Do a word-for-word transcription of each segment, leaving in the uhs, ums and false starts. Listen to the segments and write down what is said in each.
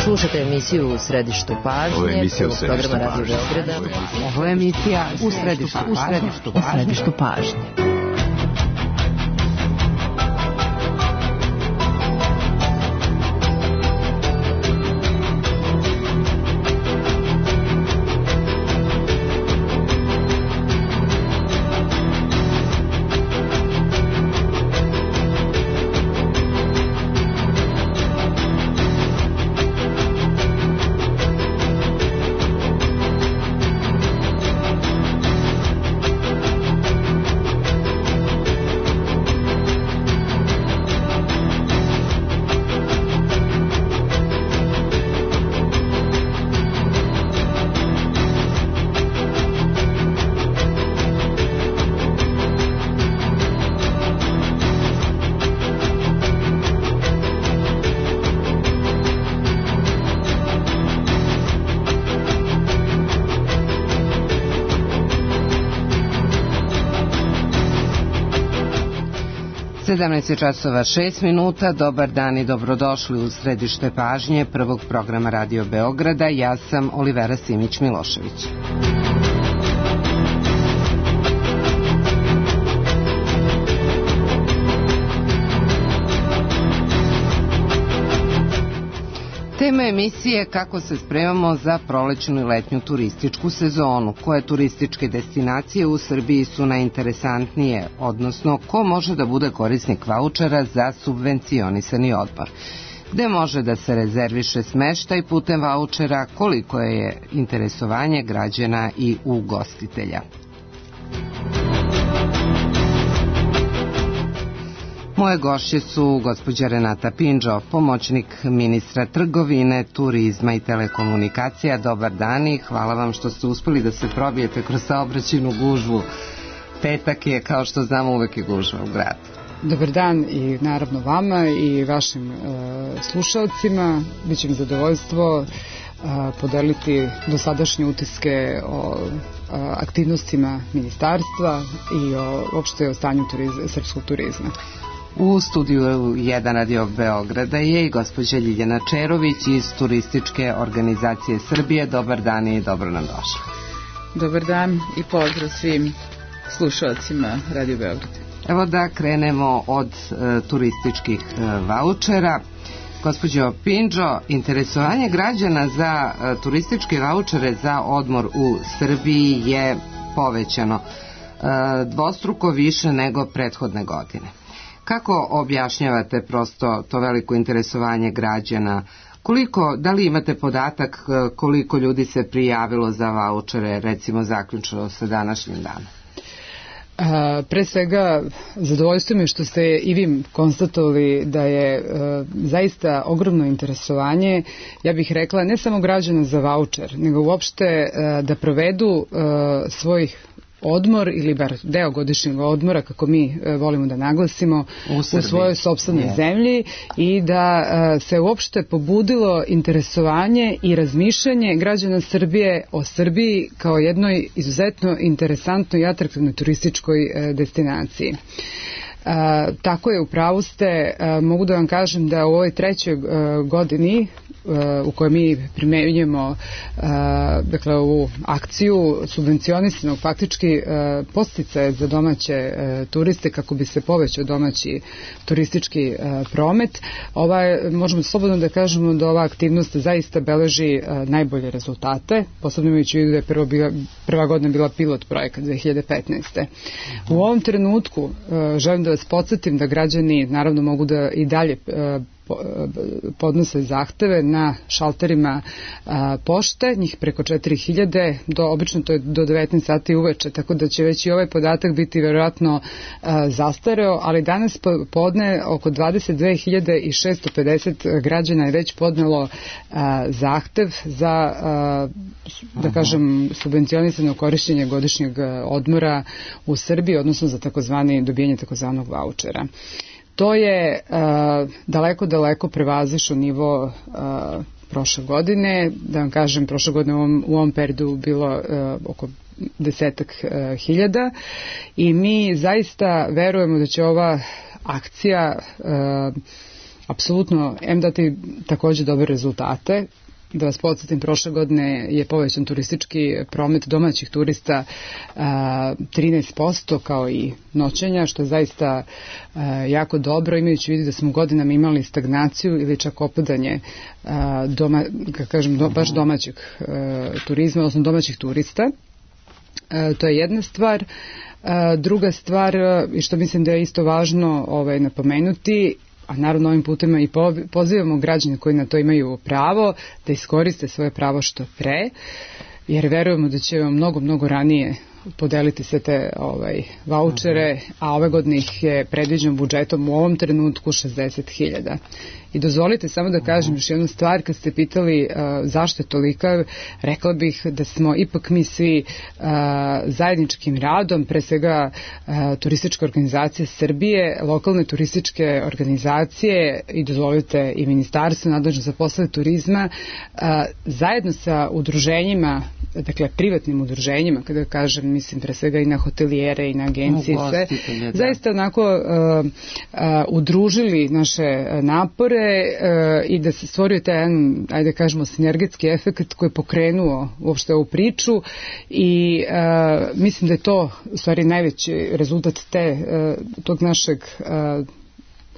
Slušate emisiju U središtu pažnje. Ovo je emisija U središtu pažnje. Ovo je emisija U središtu pažnje. U središtu pažnje. sedamnaest časova šest minuta, dobar dan i dobrodošli u središte pažnje prvog programa Radio Beograda. Ja sam Olivera Simić-Milošević. Tema emisije kako se spremamo za prolećnu i letnju turističku sezonu, koje turističke destinacije u Srbiji su najinteresantnije, odnosno ko može da bude korisnik vaučera za subvencionisani odmor, gde može da se rezerviše smeštaj putem vaučera, koliko je interesovanje građana i ugostitelja. Moje gošće su gospođa Renata Pindžo, pomoćnik ministra trgovine, turizma i telekomunikacija. Dobar dan i hvala vam što ste uspeli da se probijete kroz saobraćajnu gužvu. Petak je, kao što znamo, uvek je gužva u gradu. Dobar dan i naravno vama i vašim e, slušalcima. Biće mi zadovoljstvo e, podeliti dosadašnje utiske o e, aktivnostima ministarstva i o, uopšte o stanju turizma, srpskog turizma. U studiju jedan Radio Beograda je i gospođa Ljiljana Čerović iz Turističke organizacije Srbije. Dobar dan i dobro nam došli. Dobar dan i pozdrav svim slušalcima Radio Beograda. Evo da krenemo od e, turističkih e, vaučera. Gospođo Pindžo, interesovanje građana za e, turističke vaučere za odmor u Srbiji je povećano e, dvostruko više nego prethodne godine. Kako objašnjavate prosto to veliko interesovanje građana? Koliko, da li imate podatak koliko ljudi se prijavilo za vaučere, recimo zaključno sa današnjim danom? A, pre svega, zadovoljstvo mi je što ste i vi konstatovali da je a, zaista ogromno interesovanje, ja bih rekla, ne samo građana za vaučer, nego uopšte a, da provedu a, svojih odmor ili bar deo godišnjeg odmora, kako mi e, volimo da naglasimo, u, u svojoj sopstvenoj yeah. zemlji i da e, se uopšte pobudilo interesovanje i razmišljanje građana Srbije o Srbiji kao jednoj izuzetno interesantnoj i atraktivnoj turističkoj e, destinaciji. E, tako je, u pravu ste, e, mogu da vam kažem da u ovoj trećoj e, godini u kojoj mi primenjujemo dakle ovu akciju subvencionisanog faktički podsticaje za domaće turiste kako bi se povećao domaći turistički promet. Ova je, možemo slobodno da kažemo da ova aktivnost zaista beleži najbolje rezultate, posebno imajući u vidu da je prvo bila, prva godina bila pilot projekat dve hiljade petnaeste. U ovom trenutku želim da vas podsjetim da građani naravno mogu da i dalje podnose zahteve na šalterima a, pošte, njih preko četiri hiljade, do, obično to je do devetnaest sati uveče, tako da će već i ovaj podatak biti verovatno a, zastareo, ali danas podne oko dvadeset dve hiljade šesto pedeset građana je već podnelo a, zahtev za, a, da kažem, subvencionisano korišćenje godišnjeg odmora u Srbiji, odnosno za takozvani dobijanje takozvanog vaučera. To je uh, daleko, daleko prevazišlo nivo uh, prošle godine. Da vam kažem, prošle godine u ovom, u ovom periodu bilo uh, oko desetak uh, hiljada i mi zaista verujemo da će ova akcija uh, apsolutno em dati takođe dobre rezultate. Da vas podsjetim, prošle godine je povećan turistički promet domaćih turista a, trinaest posto kao i noćenja, što je zaista a, jako dobro, imajući vidi da smo godinama imali stagnaciju ili čak opadanje a, doma, kako kažem, do, baš domaćeg a, turizma, odnosno domaćih turista. A, to je jedna stvar. A, druga stvar, i što mislim da je isto važno ovaj, napomenuti, a naravno ovim putem i pozivamo građane koji na to imaju pravo da iskoriste svoje pravo što pre, jer verujemo da će vam mnogo, mnogo ranije podeliti sve te ovaj, vaučere, a ove godine ih je predviđeno budžetom u ovom trenutku šezdeset hiljada. I dozvolite samo da kažem još jednu stvar, kad ste pitali uh, zašto je tolika, rekla bih da smo ipak mi svi uh, zajedničkim radom, pre svega uh, turistička organizacija Srbije, lokalne turističke organizacije i dozvolite i ministarstvo nadležno za poslove turizma, uh, zajedno sa udruženjima, dakle privatnim udruženjima, kada kažem, mislim pre svega i na hotelijere i na agencije, sve, zaista onako uh, uh, udružili naše napore i da se stvorio taj jedan, ajde kažemo, sinergetski efekt koji je pokrenuo uopšte ovu priču i uh, mislim da je to u stvari najveći rezultat te, uh, tog našeg uh,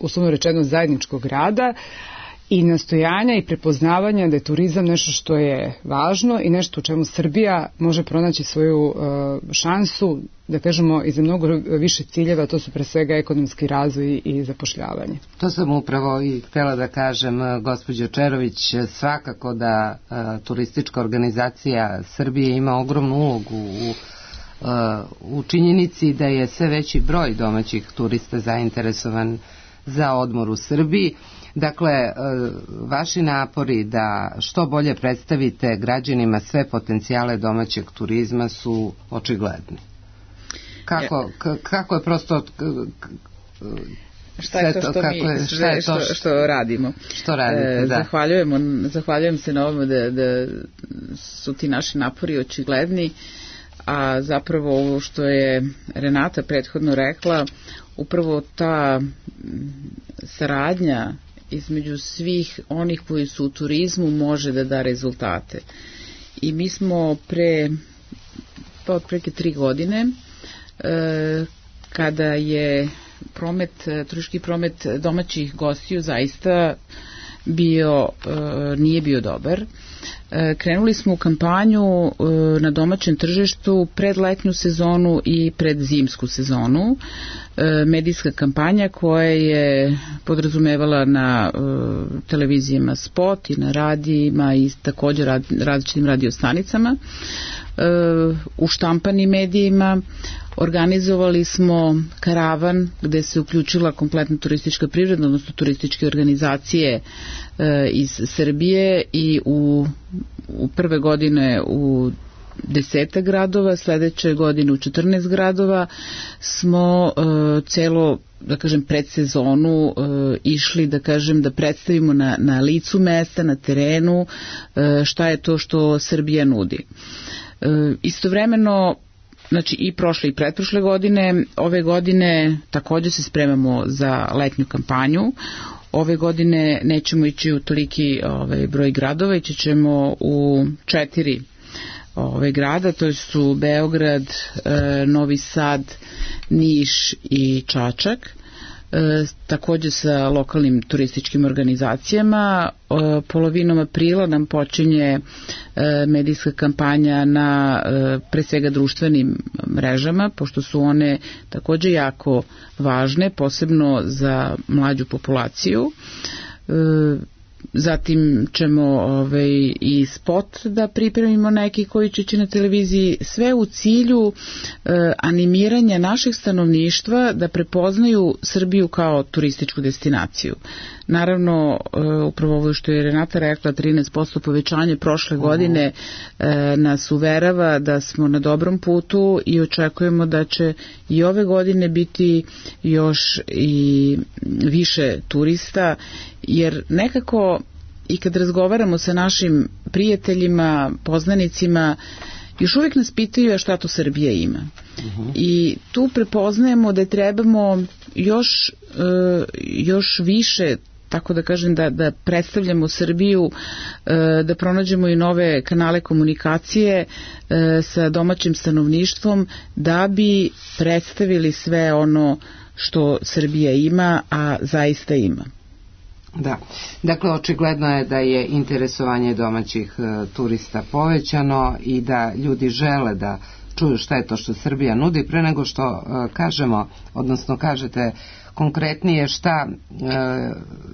uslovno rečeno zajedničkog rada i nastojanja i prepoznavanja da je turizam nešto što je važno i nešto u čemu Srbija može pronaći svoju uh, šansu, da kažemo, i za mnogo više ciljeva, to su pre svega ekonomski razvoj i zapošljavanje. To sam upravo i htjela da kažem, gospođo Čerović, svakako da uh, turistička organizacija Srbije ima ogromnu ulogu u uh, u činjenici da je sve veći broj domaćih turista zainteresovan za odmor u Srbiji. Dakle, vaši napori da što bolje predstavite građanima sve potencijale domaćeg turizma su očigledni. Kako, kako je prosto... Šta je to što, mi, je, šta je to što, što radimo? Što radite, da. Zahvaljujemo, zahvaljujem se na ovome da, da su ti naši napori očigledni, a zapravo ovo što je Renata prethodno rekla, upravo ta saradnja između svih onih koji su u turizmu može da da rezultate. I mi smo pre pa otprilike tri godine e, kada je promet, turistički promet domaćih gostiju zaista bio, e, nije bio dobar. E, krenuli smo u kampanju e, na domaćem tržištu pred letnju sezonu i pred zimsku sezonu. E, medijska kampanja koja je podrazumevala na e, televizijama spot i na radijima i također rad, različitim radiostanicama. E, u štampanim medijima organizovali smo karavan gde se uključila kompletna turistička privreda, odnosno turističke organizacije e, iz Srbije i u, u prve godine u deseta gradova, sledeće godine u četrnaest gradova smo e, celo, da kažem, predsezonu e, išli, da kažem, da predstavimo na, na licu mesta, na terenu e, šta je to što Srbija nudi. E, istovremeno, znači i prošle i pretprošle godine, ove godine takođe se spremamo za letnju kampanju. Ove godine nećemo ići u toliki ovaj, broj gradova, ići ćemo u četiri ove grada, to su Beograd, e, Novi Sad, Niš i Čačak. E, takođe sa lokalnim turističkim organizacijama. E, polovinom aprila nam počinje e, medijska kampanja na e, pre svega društvenim mrežama, pošto su one takođe jako važne, posebno za mlađu populaciju. E, Zatim ćemo ovaj, i spot da pripremimo neki koji će ići na televiziji, sve u cilju e, animiranja naših stanovništva da prepoznaju Srbiju kao turističku destinaciju. Naravno, e, upravo ovo što je Renata rekla, trinaest posto povećanje prošle uh-huh. godine e, nas uverava da smo na dobrom putu i očekujemo da će i ove godine biti još i više turista, jer nekako i kad razgovaramo sa našim prijateljima, poznanicima, još uvijek nas pitaju šta to Srbija ima. Uh-huh. I tu prepoznajemo da trebamo još, još više tako da kažem da, da predstavljamo Srbiju, da pronađemo i nove kanale komunikacije sa domaćim stanovništvom da bi predstavili sve ono što Srbija ima, a zaista ima. Da, dakle očigledno je da je interesovanje domaćih e, turista povećano i da ljudi žele da čuju šta je to što Srbija nudi. Pre nego što e, kažemo, odnosno kažete konkretnije šta e,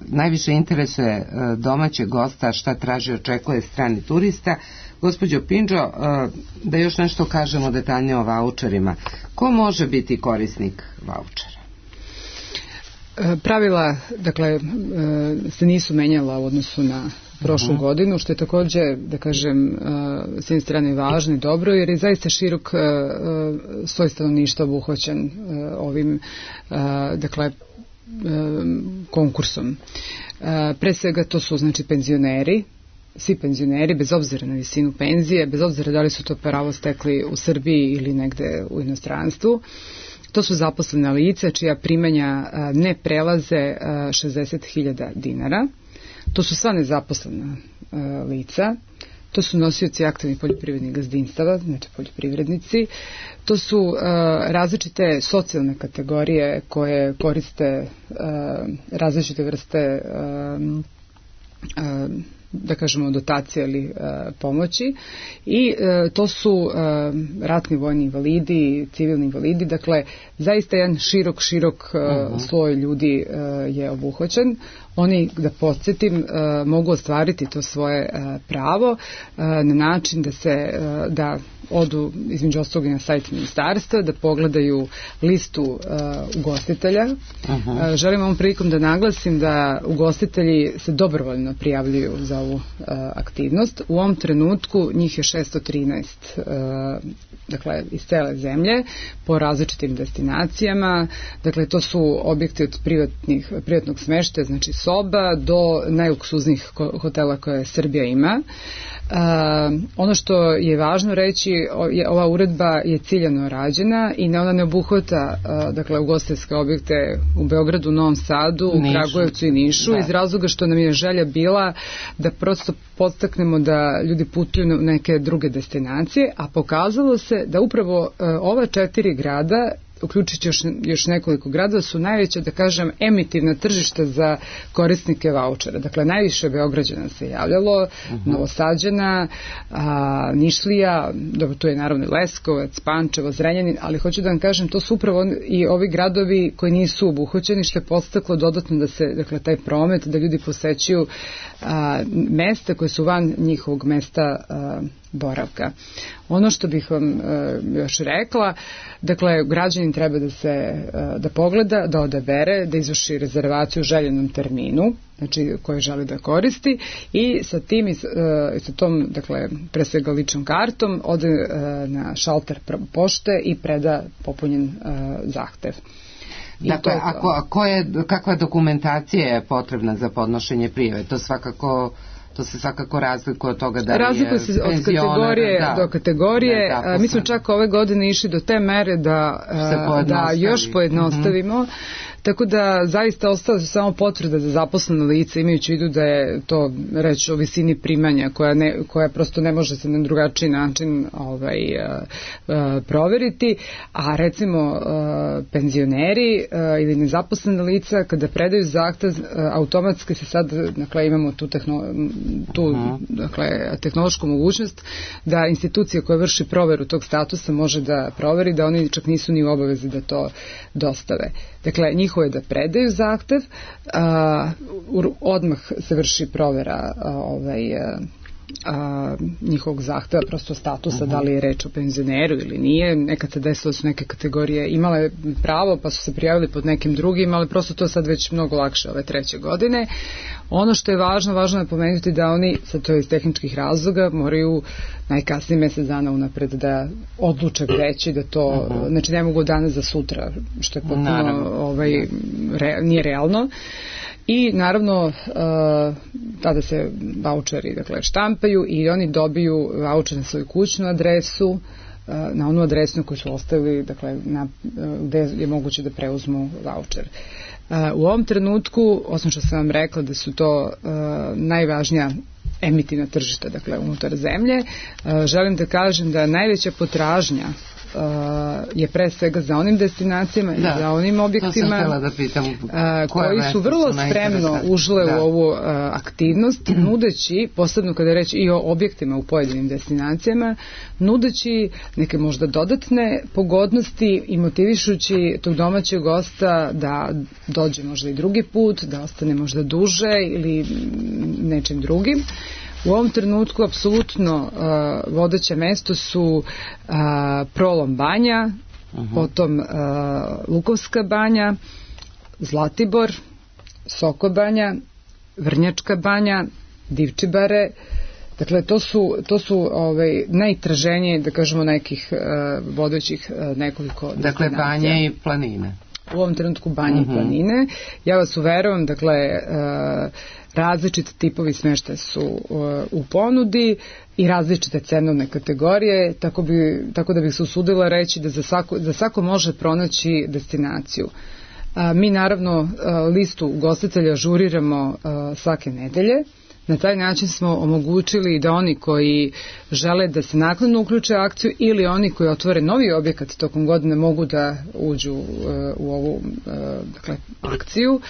najviše interesuje e, domaćeg gosta, šta traži, očekuje strani turista, gospođo Pindžo, e, da još nešto kažemo detaljnije o vaučerima. Ko može biti korisnik vaučera? Pravila, dakle, se nisu menjala u odnosu na prošlu uh-huh. godinu, što je također, da kažem, s jedne strane važno i dobro, jer je zaista širok sloj stanovništva obuhvaćen ovim, dakle, konkursom. Pre svega to su, znači, penzioneri, svi penzioneri, bez obzira na visinu penzije, bez obzira da li su to pravo stekli u Srbiji ili negde u inostranstvu. To su zaposlena lica čija primanja ne prelaze šezdeset hiljada dinara. To su sva nezaposlena lica. To su nosioci aktivnih poljoprivrednih gazdinstava, znači poljoprivrednici. To su različite socijalne kategorije koje koriste različite vrste da kažemo dotacije ili e, pomoći i e, to su e, ratni vojni invalidi, civilni invalidi, dakle zaista jedan širok, širok e, uh-huh. sloj ljudi e, je obuhvaćen. Oni, da podsjetim, e, mogu ostvariti to svoje e, pravo e, na način da se e, da odu između ostalog na sajt ministarstva, da pogledaju listu uh, ugostitelja. Uh-huh. Uh, želim ovom prilikom da naglasim da ugostitelji se dobrovoljno prijavljuju za ovu uh, aktivnost. U ovom trenutku njih je šesto trinaest, uh, dakle iz cele zemlje, po različitim destinacijama. Dakle, to su objekti od privatnih, privatnog smeštaja, znači soba, do najluksuznijih hotela koje Srbija ima. Uh, ono što je važno reći, je, ova uredba je ciljano rađena i ne, ona ne obuhvata uh, dakle ugostiteljske objekte u Beogradu, Novom Sadu, Nišu. Kragujevcu i Nišu, da. Iz razloga što nam je želja bila da prosto podstaknemo da ljudi putuju na neke druge destinacije, a pokazalo se da upravo uh, ova četiri grada, uključujući još, još nekoliko gradova, su najveća, da kažem, emitivna tržišta za korisnike vaučera. Dakle, najviše Beograđana se javljalo, uh-huh. Novosađana, a, Nišlija, dobro, tu je naravno Leskovac, Pančevo, Zrenjanin, ali hoću da vam kažem, to su upravo i ovi gradovi koji nisu obuhvaćeni, što je podstaklo dodatno da se, dakle, taj promet, da ljudi posećuju a, mesta koje su van njihovog mesta a, boravka. Ono što bih vam uh, još rekla, dakle, građanin treba da se uh, da pogleda, da odabere, da izvrši rezervaciju u željenom terminu, znači koji želi da koristi, i sa tim i uh, sa tom, dakle, pre svega ličnom kartom ode uh, na šalter pošte i preda popunjen uh, zahtev. I dakle, to, ako, ako je, kakva dokumentacija je potrebna za podnošenje prijave? To svakako To se svakako razlikuje od toga da li je razlikuje se od kategorije da, do kategorije. Da, mi smo čak ove godine išli do te mere da, da još pojednostavimo. Mm-hmm. Tako da zaista ostala su samo potvrda za zaposleno lice, imajući u vidu da je to reč o visini primanja koja, ne, koja prosto ne može se na drugačiji način ovaj, uh, uh, proveriti, a recimo uh, penzioneri uh, ili nezaposlene lica kada predaju zahtev, uh, automatski se sad, dakle, imamo tu, tehno, tu uh-huh. dakle, tehnološku mogućnost da institucija koja vrši proveru tog statusa može da proveri da oni čak nisu ni u obavezi da to dostave. Dakle, njihovo je da predaju zahtev, a, odmah se vrši provera a, ovaj, a, a, njihovog zahteva, prosto statusa, uh-huh. da li je reč o penzioneru ili nije. Nekad se desilo su neke kategorije imale pravo pa su se prijavili pod nekim drugim, ali prosto to sad već mnogo lakše ove treće godine. Ono što je važno, važno je napomenuti da oni, sad to je iz tehničkih razloga, moraju najkasnije mjesec dana unapred da odluče gde će, da to, uh-huh. znači ne mogu danas za sutra, što je potpuno ovaj, re, nije realno. I naravno uh, tada se vaučeri, dakle, štampaju i oni dobiju vaučer na svoju kućnu adresu, uh, na onu adresu koju su ostavili, dakle, na, uh, gde je moguće da preuzmu vaučer. U ovom trenutku, osim što sam vam rekla da su to najvažnija emitivna tržišta, dakle unutar zemlje, želim da kažem da najveća potražnja Uh, je pre svega za onim destinacijama i za onim objektima da pitam, uh, koji su vrlo su spremno ušle da. u ovu uh, aktivnost, nudeći, posebno kada je reč i o objektima u pojedinim destinacijama, nudeći neke možda dodatne pogodnosti i motivišući tog domaćeg gosta da dođe možda i drugi put, da ostane možda duže ili nečim drugim. U ovom trenutku apsolutno uh, vodeće mesto su uh, Prolom banja, uh-huh. potom uh, Lukovska banja, Zlatibor, Sokobanja, Vrnjačka banja, Divčibare. Dakle, to su, to su ovaj, najtraženije, da kažemo, nekih uh, vodećih uh, nekoliko destinacija. Dakle, banje i planine. U ovom trenutku banje uh-huh. i planine. Ja vas uveravam, dakle, uh, različite tipovi smještaja su uh, u ponudi i različite cenovne kategorije, tako, bi, tako da bih se usudila reći da za svako, za svako može pronaći destinaciju. Uh, mi naravno uh, listu ugostitelja ažuriramo uh, svake nedelje. Na taj način smo omogućili da oni koji žele da se naknadno uključe akciju ili oni koji otvore novi objekat tokom godine mogu da uđu uh, u ovu uh, dakle, akciju.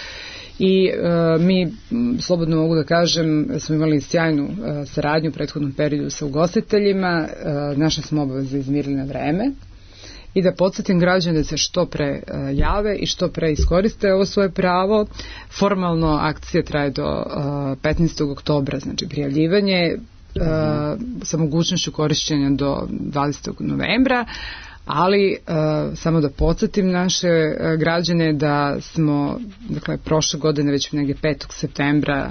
I uh, mi, slobodno mogu da kažem, smo imali sjajnu uh, saradnju u prethodnom periodu sa ugostiteljima, uh, naše smo obaveze izmirili na vreme i da podsjetim građane da se što pre uh, jave i što pre iskoriste ovo svoje pravo. Formalno akcija traje do uh, petnaestog oktobra, znači prijavljivanje uh, sa mogućnošću korišćenja do dvadesetog novembra. Ali uh, samo da podsjetim naše uh, građane da smo, dakle, prošle godine već negdje petog septembra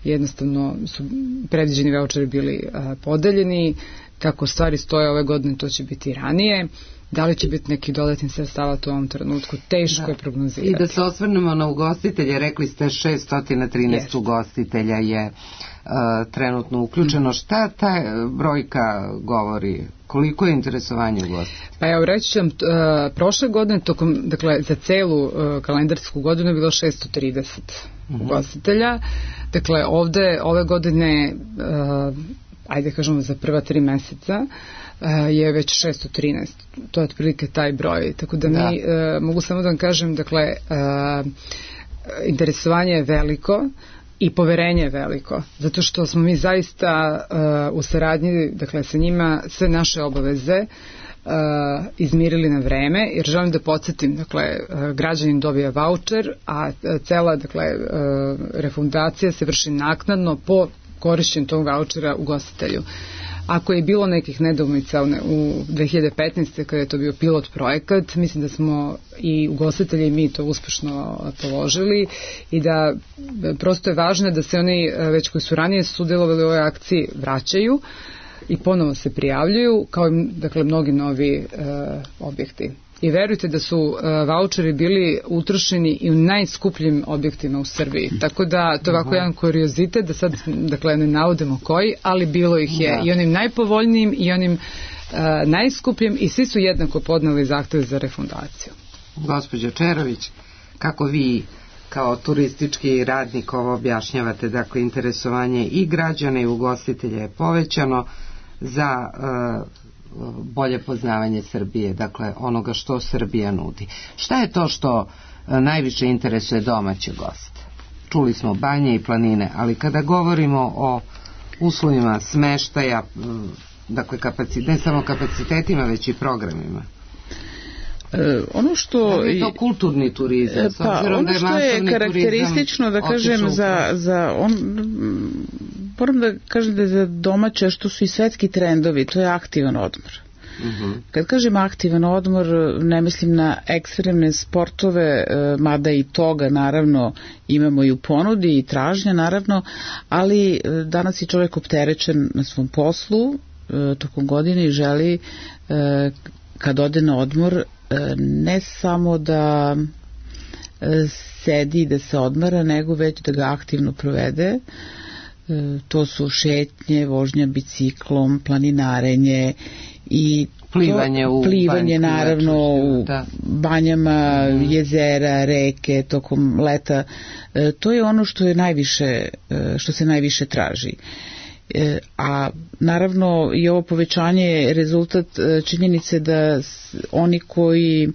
jednostavno su predviđeni vaučeri bili uh, podeljeni. Kako stvari stoje ove godine, to će biti ranije. Da li će biti neki dodatni sredstava u ovom trenutku, teško da. je prognozirati. I da se osvrnemo na ugostitelje, rekli ste šessto trinaest yes. ugostitelja je uh, trenutno uključeno. Mm. Šta ta brojka govori? Koliko je interesovanje ugostitelja? Pa ja reći ću vam, uh, prošle godine, tokom, dakle, za celu uh, kalendarsku godinu je bilo šessto trideset mm-hmm. ugostitelja. Dakle, ovde, ove godine, uh, ajde kažemo za prva tri meseca, je već šessto trinaest. To je otprilike taj broj. Tako da, da. mi, e, mogu samo da vam kažem, dakle, e, interesovanje je veliko i poverenje je veliko. Zato što smo mi zaista e, u saradnji, dakle, sa njima sve naše obaveze e, izmirili na vreme, jer želim da podsjetim, dakle, e, građanin dobija vaučer, a cela, dakle, e, refundacija se vrši naknadno po korišćenju tog vaučera ugostitelju. Ako je bilo nekih nedoumica u dve hiljade petnaeste. kada je to bio pilot projekat, mislim da smo i ugostitelji i mi to uspešno položili i da prosto je važno da se oni već koji su ranije sudjelovali u ovoj akciji vraćaju i ponovo se prijavljuju kao i, dakle, mnogi novi e, objekti. I verujte da su uh, vaučeri bili utrošeni i u najskupljim objektima u Srbiji. Tako da to je ovako jedan kuriozitet, da sad, dakle, ne navodimo koji, ali bilo ih je da. i onim najpovoljnijim i onim uh, najskupljim i svi su jednako podneli zahteve za refundaciju. Gospođo Čerović, kako vi kao turistički radnik ovo objašnjavate, dakle, interesovanje i građana i ugostitelja je povećano za uh, bolje poznavanje Srbije, dakle onoga što Srbija nudi. Šta je to što najviše interesuje domaće goste? Čuli smo banje i planine, ali kada govorimo o uslovima smeštaja, dakle kapacit, ne samo kapacitetima, već i programima. E, ono što je to kulturni turizam, s pa, ono da je što je karakteristično, da kažem, za, za on, moram da kažem da je za domaće, što su i svetski trendovi, to je aktivan odmor. Uh-huh. Kad kažem aktivan odmor, ne mislim na ekstremne sportove, mada i toga naravno imamo i u ponudi i tražnja naravno, ali danas je čovjek opterećen na svom poslu tokom godine i želi kad ode na odmor ne samo da sedi i da se odmara, nego već da ga aktivno provede. To su šetnje, vožnja biciklom, planinarenje i plivanje u plivanje naravno u da. banjama, mm. jezera, reke tokom leta. E, to je ono što je najviše, što se najviše traži. E, a naravno i ovo povećanje je rezultat činjenice da oni koji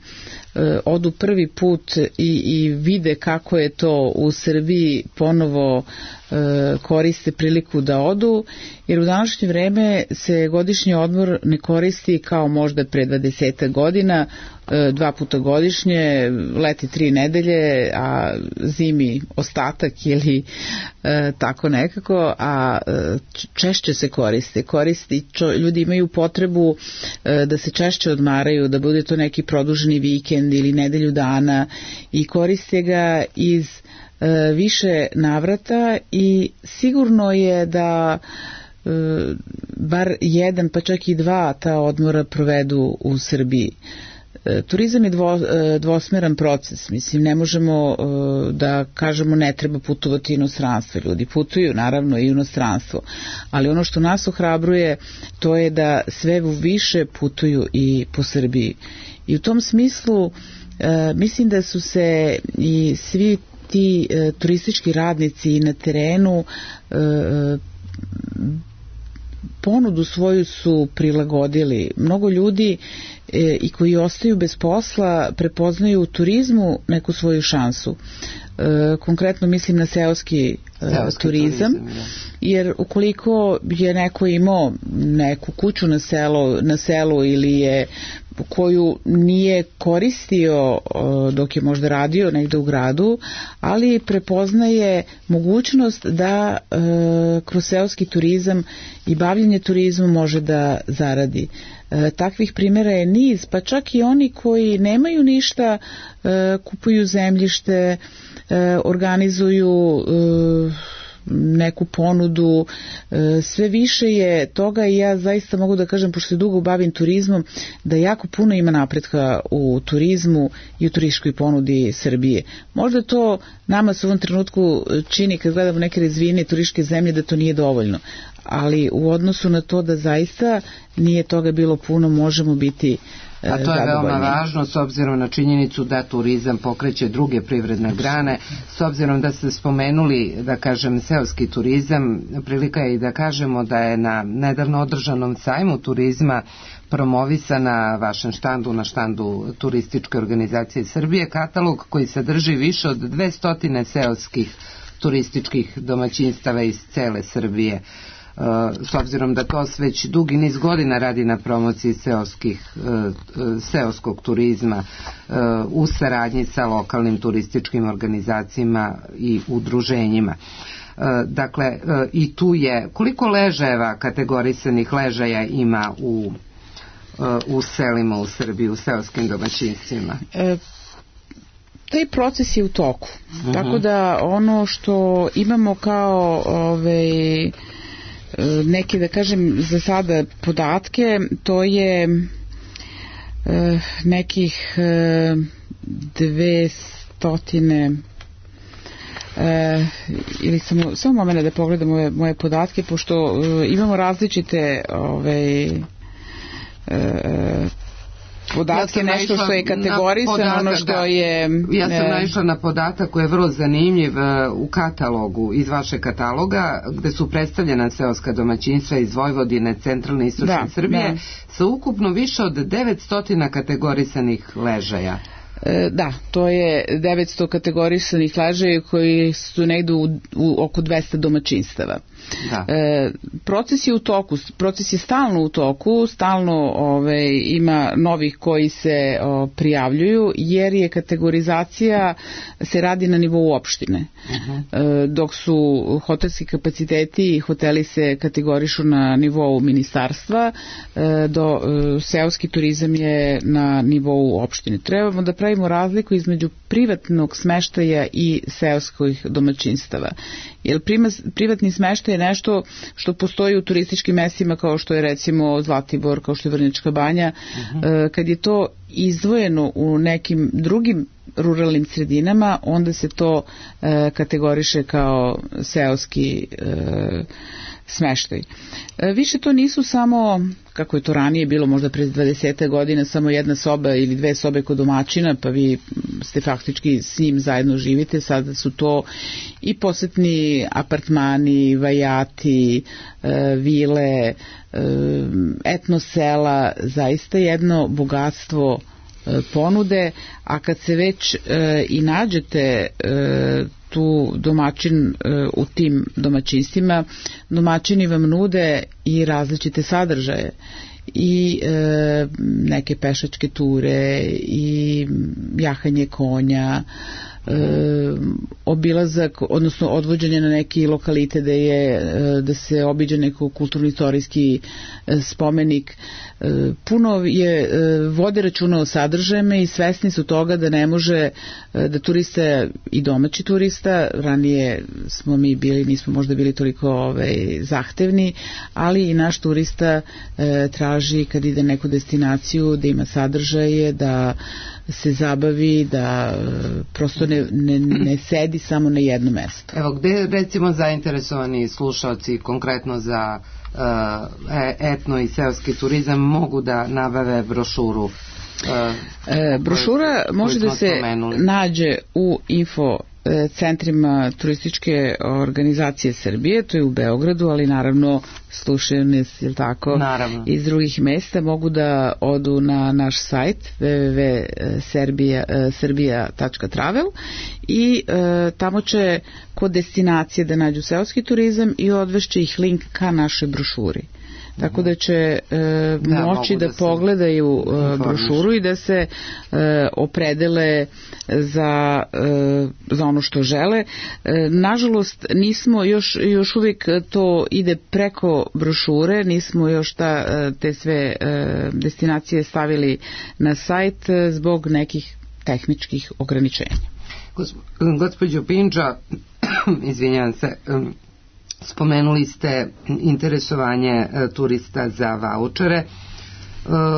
e, odu prvi put i, i vide kako je to u Srbiji ponovo e, koriste priliku da odu, jer u današnje vreme se godišnji odmor ne koristi kao možda pre dvadeset godina, e, dva puta godišnje, leti tri nedelje, a zimi ostatak ili e, tako nekako, a e, češće se koriste. Koristi, čo, ljudi imaju potrebu e, da se češće odmaraju, da bude to neki produženi vikend ili nedelju dana i koriste ga iz e, više navrata i sigurno je da e, bar jedan pa čak i dva ta odmora provedu u Srbiji. Turizam je dvo, dvosmeran proces, mislim, ne možemo da kažemo ne treba putovati u inostranstvo, ljudi putuju naravno i u inostranstvo, ali ono što nas ohrabruje to je da sve više putuju i po Srbiji. I u tom smislu mislim da su se i svi ti turistički radnici na terenu ponudu svoju su prilagodili. Mnogo ljudi e, i koji ostaju bez posla prepoznaju u turizmu neku svoju šansu. E, konkretno mislim na seoski, seoski turizam, turizam jer ukoliko je neko imao neku kuću na, selo, na selu ili je koju nije koristio dok je možda radio negde u gradu, ali prepoznaje mogućnost da e, kroz seoski turizam i bavljenje turizmom može da zaradi. E, takvih primjera je niz, pa čak i oni koji nemaju ništa, e, kupuju zemljište, e, organizuju e, neku ponudu, sve više je toga i ja zaista mogu da kažem, pošto se dugo bavim turizmom, da jako puno ima napretka u turizmu i u turističkoj ponudi Srbije. Možda to nama se u ovom trenutku čini kad gledamo neke razvijene turističke zemlje da to nije dovoljno, ali u odnosu na to da zaista nije toga bilo puno, možemo biti A to je veoma važno s obzirom na činjenicu da turizam pokreće druge privredne grane, s obzirom da ste spomenuli, da kažem, seoski turizam, prilika je i da kažemo da je na nedavno održanom sajmu turizma promovisana vašem štandu, na štandu Turističke organizacije Srbije, katalog koji sadrži više od dvesta seoskih turističkih domaćinstava iz cele Srbije. S obzirom da to već dugi niz godina radi na promociji seoskih, seoskog turizma u saradnji sa lokalnim turističkim organizacijama i udruženjima. Dakle, i tu je, koliko ležajeva, kategorisanih ležaja ima u, u selima u Srbiji, u seoskim domaćinstvima? E, taj proces je u toku. Uh-huh. Tako da ono što imamo kao ovaj, neke, da kažem, za sada podatke, to je e, nekih e, dve stotine e, ili samo, samo moment da pogledam moje, moje podatke, pošto e, imamo različite ove, e, podatke, ja nešto što je kategorisano, ono što je... Ja sam naišla na podatak koji je vrlo zanimljiv u katalogu, iz vašeg kataloga, gde su predstavljena seoska domaćinstva iz Vojvodine, centralne i istočne da, Srbije, da. Sa ukupno više od devetsto kategorisanih ležaja. Da, to je devetsto kategorisanih ležaja koji su negde u, u oko dvesta domaćinstava. Da. E, proces je u toku, proces je stalno u toku, stalno ove, ima novih koji se o, prijavljuju, jer je kategorizacija se radi na nivou opštine. Uh-huh. E, dok su hotelski kapaciteti i hoteli se kategorišu na nivou ministarstva, e, do e, seoski turizam je na nivou opštine. Trebamo da pravimo razliku između privatnog smeštaja i seoskih domaćinstava. Jer privatni smeštaj je nešto što postoji u turističkim mestima kao što je recimo Zlatibor, kao što je Vrnjačka banja. Uh-huh. Kad je to izdvojeno u nekim drugim ruralnim sredinama, onda se to e, kategoriše kao seoski e, smeštaj. E, više to nisu samo, kako je to ranije bilo možda pre dvadeset godina, samo jedna soba ili dve sobe kod domaćina, pa vi ste faktički s njim zajedno živite. Sada su to i posetni apartmani, vajati, e, vile, e, etno sela, zaista jedno bogatstvo ponude, a kad se već e, i nađete e, tu domaćin e, u tim domaćinstvima, domaćini vam nude i različite sadržaje i e, neke pešačke ture i jahanje konja, e, obilazak, odnosno odvođenje na neki lokalite da je e, da se obiđe neko kulturno-istorijski e, spomenik. E, puno je e, vode računa o sadržajima i svesni su toga da ne može e, da turista i domaći turista, ranije smo mi bili, nismo možda bili toliko ovaj, zahtevni, ali i naš turista e, traži kad ide na neku destinaciju da ima sadržaje, da se zabavi, da prosto ne, ne, ne sedi samo na jednom mestu. Evo, gde recimo zainteresovani slušalci konkretno za uh, etno i seoski turizam mogu da nabave brošuru? Uh, e, brošura koju, može koju da se spomenuli. Nađe u info centrima turističke organizacije Srbije, to je u Beogradu, ali naravno slušaju nas, jel tako, naravno, iz drugih mesta, mogu da odu na naš sajt w w w tačka serbia tačka travel i e, tamo će kod destinacije da nađu seoski turizam i odvešće ih link ka našoj brošuri. Tako da će e, da, moći da, da pogledaju e, brošuru i da se e, opredele za, e, za ono što žele. E, nažalost, nismo još, još uvijek to ide preko brošure, nismo još ta, te sve e, destinacije stavili na sajt zbog nekih tehničkih ograničenja. Gospođo Pindžo, izvinjavam se, spomenuli ste interesovanje e, turista za vaučere e,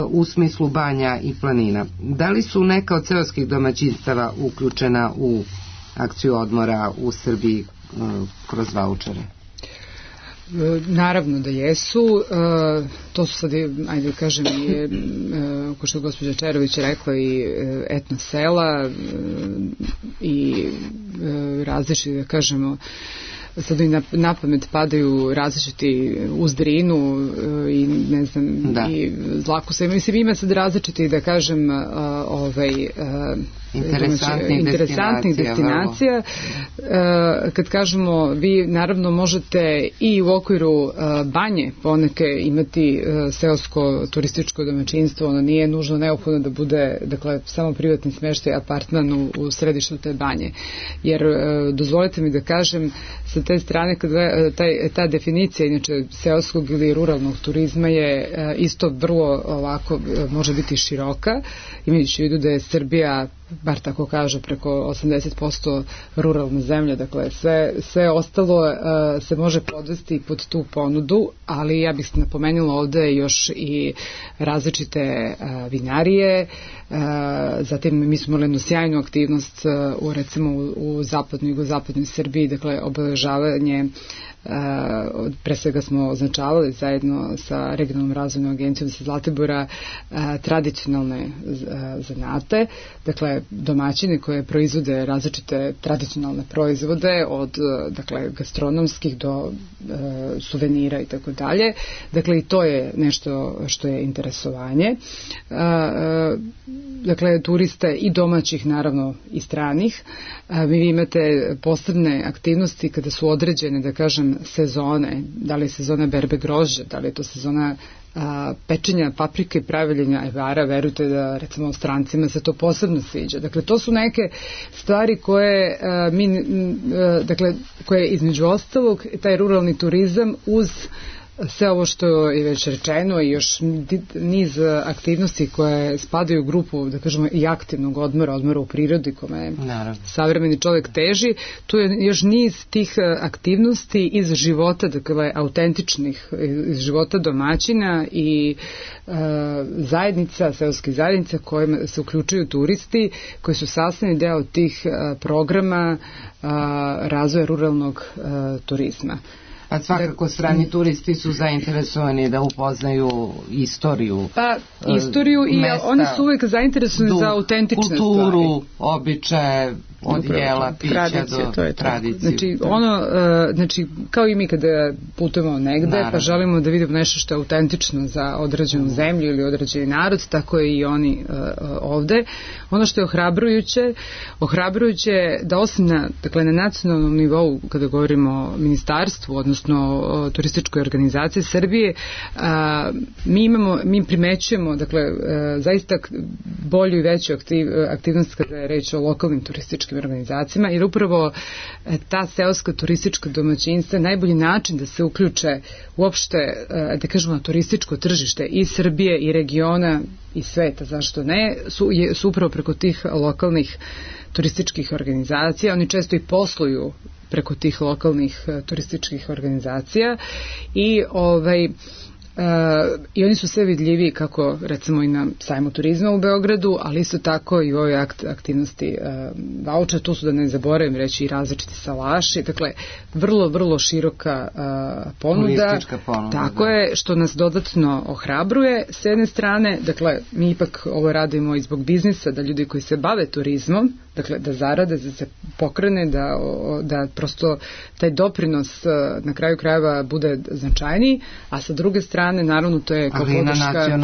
u smislu banja i planina. Da li su neka od seoskih domaćinstava uključena u akciju odmora u Srbiji e, kroz vaučere? Naravno da jesu. E, to su sad, ajde kažem, i, e, ko što gospođa Čerović rekla, i etno sela e, i e, različiti, da kažemo, sad i na, na pamet padaju različiti uz Drinu i ne znam, da, i Zlakusa. Mislim, ima sad različiti, da kažem, ovaj, interesantnih, interesantnih destinacija. destinacija. Kad kažemo, vi naravno možete i u okviru banje poneke imati seosko turističko domaćinstvo, ono nije nužno neophodno da bude, dakle, samo privatni smeštaj, apartman u, u središtu te banje. Jer, dozvolite mi da kažem, sa te strane, kada taj, ta definicija, inače, seoskog ili ruralnog turizma je isto vrlo ovako, može biti široka, imajući u vidu da je Srbija, bar tako kaže, preko osamdeset posto ruralna zemlja, dakle sve, sve ostalo uh, se može podvesti pod tu ponudu, ali ja bih napomenula ovde još i različite uh, vinarije, uh, zatim mi smo imali jednu sjajnu aktivnost uh, u recimo u, u zapadnoj i jugozapadnoj Srbiji, dakle obeležavanje, Uh, pre svega smo označavali zajedno sa regionalnom razvojnom agencijom sa Zlatibora uh, tradicionalne uh, zanate, dakle domaćine koje proizvode različite tradicionalne proizvode od uh, dakle gastronomskih do uh, suvenira i tako dalje. Dakle i to je nešto što je interesovanje. Uh, uh, dakle turista i domaćih, naravno i stranih. Uh, vi imate posebne aktivnosti kada su određene, da kažem, sezone, da li je sezona berbe grožđa, da li je to sezona a, pečenja paprike i praviljenja ajvara, verujte da recimo strancima se to posebno sviđa. Dakle, to su neke stvari koje a, mi, a, dakle, koje između ostalog taj ruralni turizam uz sve ovo što je već rečeno i još niz aktivnosti koje spadaju u grupu, da kažemo, i aktivnog odmora, odmora u prirodi kome savremeni čovjek teži, tu je još niz tih aktivnosti iz života, dakle, autentičnih, iz života domaćina i e, zajednica, seoskih zajednica kojima se uključuju turisti, koji su sastavni deo tih e, programa e, razvoja ruralnog e, turizma. A svakako strani turisti su zainteresovani da upoznaju istoriju. Pa istoriju i mesta, oni su uvijek zainteresovani za autentične kulturu, stvari. Običaje, od jela, pića tradicije, do to je tradicije. Znači, ono, uh, znači, kao i mi kada putujemo negde, naravno, pa želimo da vidimo nešto što je autentično za određenu mm. zemlju ili određeni narod, tako je i oni uh, ovde. Ono što je ohrabrujuće, ohrabrujuće da osim na, dakle, na nacionalnom nivou, kada govorimo o ministarstvu, odnosno o turističkoj organizaciji Srbije, uh, mi imamo, mi primećujemo, dakle, uh, zaista bolju i veću aktiv, aktivnost kada je reč o lokalnim turističkim organizacijama, jer upravo ta seoska turistička domaćinstva je najbolji način da se uključe uopšte, da kažemo, na turističko tržište i Srbije i regiona i sveta, zašto ne, su, je, su upravo preko tih lokalnih turističkih organizacija. Oni često i posluju preko tih lokalnih turističkih organizacija i ovaj Uh, i oni su sve vidljiviji kako recimo i na sajmu turizma u Beogradu, ali isto tako i u ovoj akt, aktivnosti uh, vaučer, tu su, da ne zaboravim reći, i različiti salaši, dakle vrlo, vrlo široka uh, ponuda, ponuda, tako da. Je, što nas dodatno ohrabruje s jedne strane, dakle mi ipak ovo radimo i zbog biznisa, da ljudi koji se bave turizmom, dakle da zarade, da se pokrene, da, da prosto taj doprinos uh, na kraju krajeva bude značajniji, a sa druge strane naravno to je kao podrška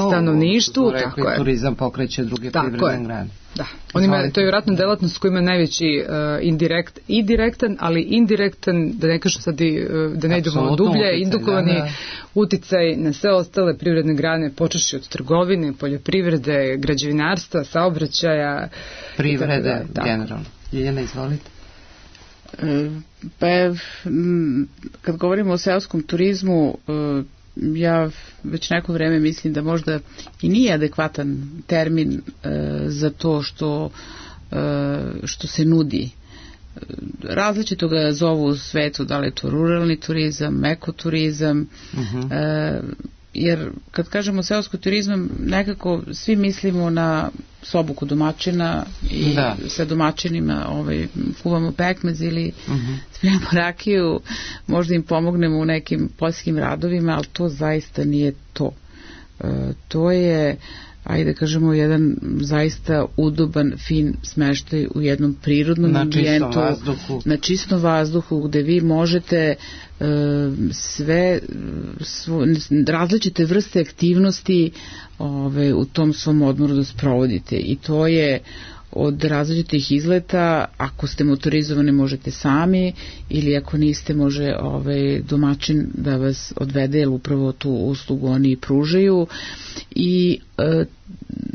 stanovništvu, tako je. Turizam pokreće druge privredne grane. Da, on ima, to je vjerojatno delatnost koja ima najveći uh, indirekt i direktan, ali indirektan, da ne kažem sad i, uh, da ne idemo dublje, indukovani da, da. uticaj na sve ostale privredne grane, počeši od trgovine, poljoprivrede, građevinarstva, saobraćaja, privrede generalno. Ljiljana, izvolite. Pa kad govorimo o seoskom turizmu, ja već neko vreme mislim da možda i nije adekvatan termin za to što, što se nudi. Različito ga zovu u svetu, da li je to ruralni turizam, ekoturizam, uh-huh. e, jer kad kažemo seosko turizam, nekako svi mislimo na sobu kod domaćina i da. Sa domaćinima ovaj, kuvamo pekmez ili uh-huh. spremamo rakiju, možda im pomognemo u nekim poljskim radovima, ali to zaista nije to. E, to je, ajde da kažemo, jedan zaista udoban, fin smeštaj u jednom prirodnom na ambijentu, čistom vazduhu. Na čistom vazduhu, gde vi možete e, sve svo, različite vrste aktivnosti ove, u tom svom odmoru da sprovodite, i to je od različitih izleta. Ako ste motorizovani možete sami, ili ako niste može ovaj domaćin da vas odvede, jer upravo tu uslugu oni pružaju. I e,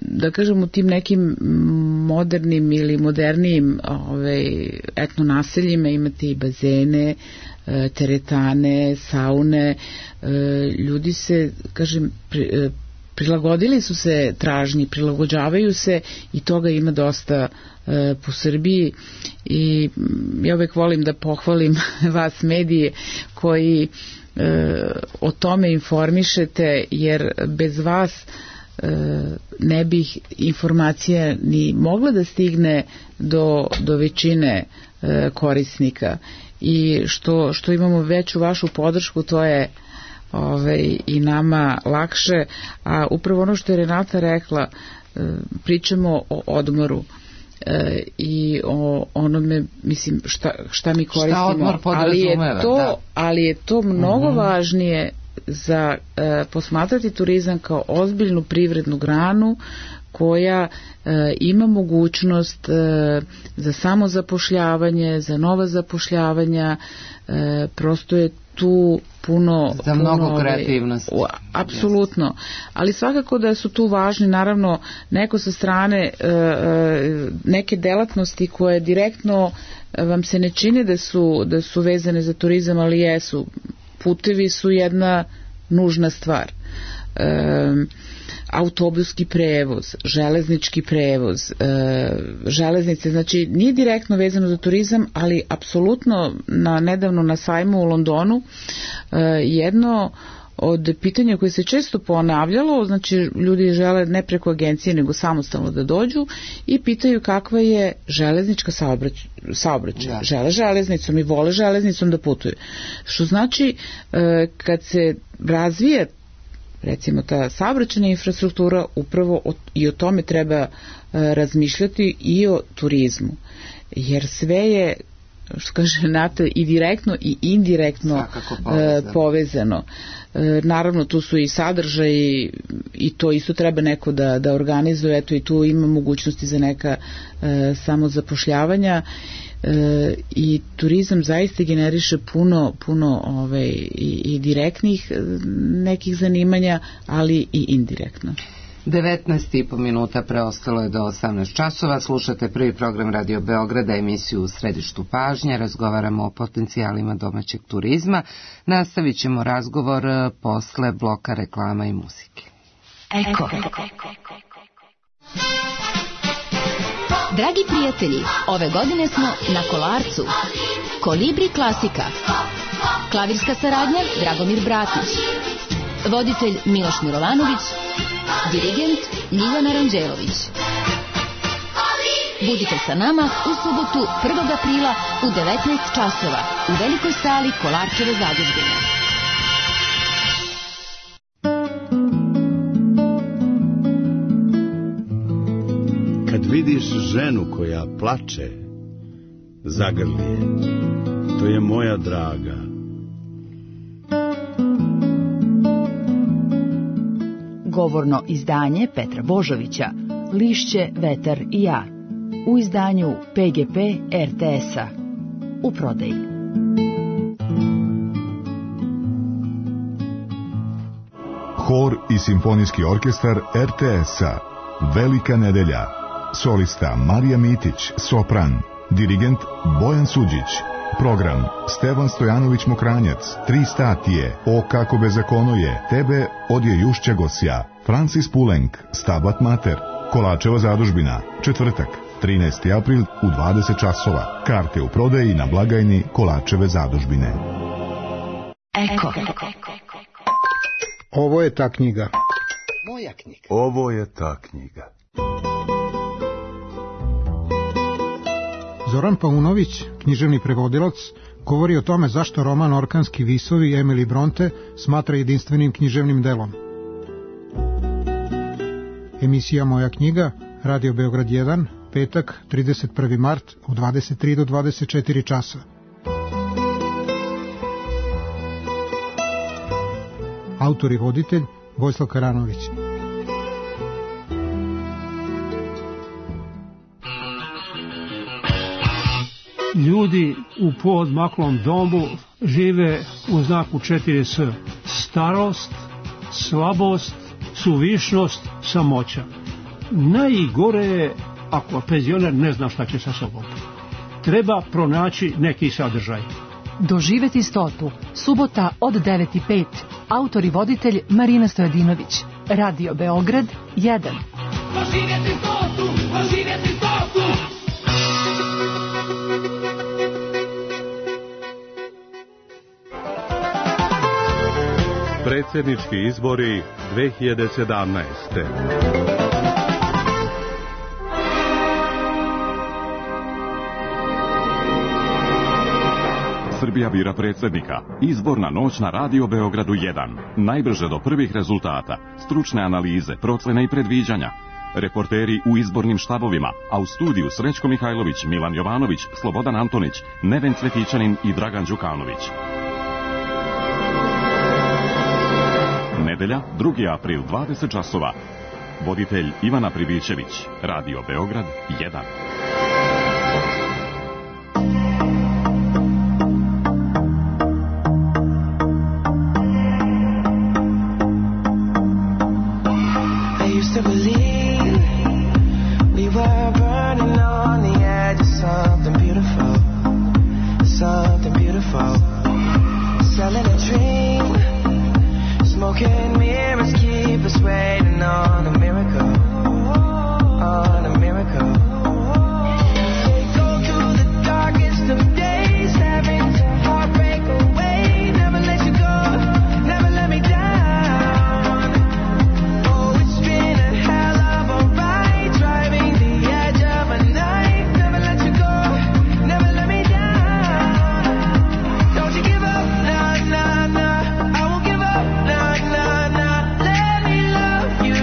da kažem, u tim nekim modernim ili modernijim ovaj, etno naseljima imate i bazene, e, teretane, saune. E, ljudi se, kažem, pri, e, prilagodili su se tražnji, prilagođavaju se, i toga ima dosta e, po Srbiji. I ja uvek volim da pohvalim vas medije koji e, o tome informišete, jer bez vas e, ne bih informacija ni mogla da stigne do, do većine e, korisnika. I što, što imamo veću vašu podršku, to je Ove, i nama lakše. A upravo ono što je Renata rekla, pričamo o odmoru e, i o onome, mislim, šta, šta mi koristimo, šta ali je to, da. ali je to mnogo uh-huh. važnije za e, posmatrati turizam kao ozbiljnu privrednu granu koja e, ima mogućnost e, za samozapošljavanje, za nova zapošljavanja, e, prosto je tu puno... Za puno, mnogo kreativnosti. Apsolutno. Yes. Ali svakako da su tu važni, naravno, neko sa strane e, neke delatnosti koje direktno vam se ne čine da su, da su vezane za turizam, ali jesu. putevi su jedna nužna stvar. E, autobuski prevoz, železnički prevoz, e, železnice, znači nije direktno vezano za turizam, ali apsolutno na, nedavno na sajmu u Londonu e, jedno od pitanja koje se često ponavljalo, znači ljudi žele ne preko agencije nego samostalno da dođu i pitaju kakva je železnička saobraćaj, saobraćaj. Da. Žele železnicom i vole železnicom da putuju. Što znači e, kad se razvije recimo ta saobraćajna infrastruktura, upravo o, i o tome treba e, razmišljati i o turizmu. Jer sve je, što kaže Nata, i direktno i indirektno povezano. povezano. E, naravno tu su i sadržaji i to isto treba neko da, da organizuje, eto i tu ima mogućnosti za neka e, samozapošljavanja e, i turizam zaista generiše puno, puno ovaj, i, i direktnih nekih zanimanja, ali i indirektno. devetnaest i po minuta preostalo je do osamnaest časova. Slušate prvi program Radio Beograda, emisiju U središtu pažnje. Razgovaramo o potencijalima domaćeg turizma. Nastavit ćemo razgovor posle bloka reklama i muzike. Eko. Dragi prijatelji, ove godine smo na Kolarcu. Kolibri klasika. Klavirska saradnja Dragomir Bratić. Voditelj Miloš Milovanović. Dirigent Ljiljana Ranđelović. Budite sa nama u subotu prvog aprila u devetnaest časova u velikoj sali Kolarčeve zadužbine. Kad vidiš ženu koja plače, zagrli je. To je moja draga. Govorno izdanje Petra Božovića, Lišće, vetar i ja, u izdanju P G P R T S-a, u prodaji. Hor i simfonijski orkestar R T S-a, Velika nedelja, solista Marija Mitić, sopran, dirigent Bojan Suđić. Program Stevan Stojanović Mokranjac, Tri statije, O kako bezakono je, Tebe odje Jušća Gosja, Francis Pulenk, Stabat Mater, Kolačeva zadužbina, četvrtak, trinaesti april u dvadeset časova. Karte u prodaji na blagajni Kolačeve zadužbine. Eko. Ovo je ta knjiga. Moja knjiga. Ovo je ta knjiga. Zoran Paunović, književni prevodilac, govori o tome zašto roman Orkanski visovi Emily Bronte smatra jedinstvenim književnim delom. Emisija Moja knjiga, Radio Beograd jedan, petak, trideset prvi mart, od dvadeset tri do dvadeset četiri časa. Autor i voditelj Vojislav Karanović. Ljudi u poodmaklom domu žive u znaku četiri S. Starost, slabost, suvišnost, samoća. Najgore je ako penzioner ne zna šta će sa sobom. Treba pronaći neki sadržaj. Doživeti stotu. Subota od devet i pet. Autor i voditelj Marina Stojadinović. Radio Beograd jedan. Doživeti stotu, doživeti stotu. Predsjednički izbori dve hiljade sedamnaeste. Srbija bira predsjednika. Izborna noć na Radio Beogradu jedan. Najbrže do prvih rezultata. Stručne analize, procene i predviđanja. Reporteri u izbornim štabovima, a u studiju Srećko Mihajlović, Milan Jovanović, Slobodan Antonić, Neven Cvetićanin i Dragan Đukanović. Nedelja, drugi april, dvadeset časova. Voditelj Ivana Pribićević, Radio Beograd jedan. selling a dream. Smoking mirrors keep us waiting on a miracle, on a miracle. They go through the darkest of days, having to heartbreak away. Never let you go, never let me down. Oh, it's been a hell of a ride, driving the edge of a knife. Never let you go, never let me down. Don't you give up, nah, nah, nah. I won't give up, nah, nah, nah. Let me love you,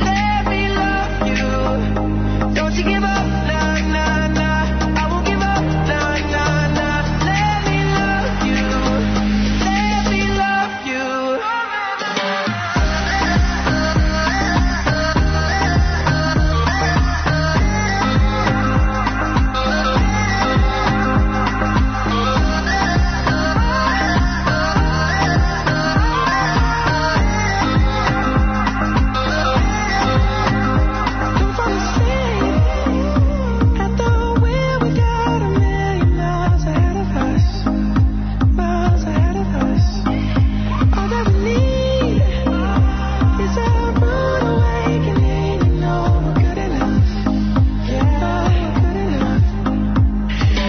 let me love you. Don't you give up, nah, nah, nah. I won't give up, nah, nah, nah. Let me love you, let me love you. Don't fall asleep at the wheel. We got a million miles ahead of us, miles ahead of us. All that we need is a rude awakening. You know we're good enough, yeah, we're good enough.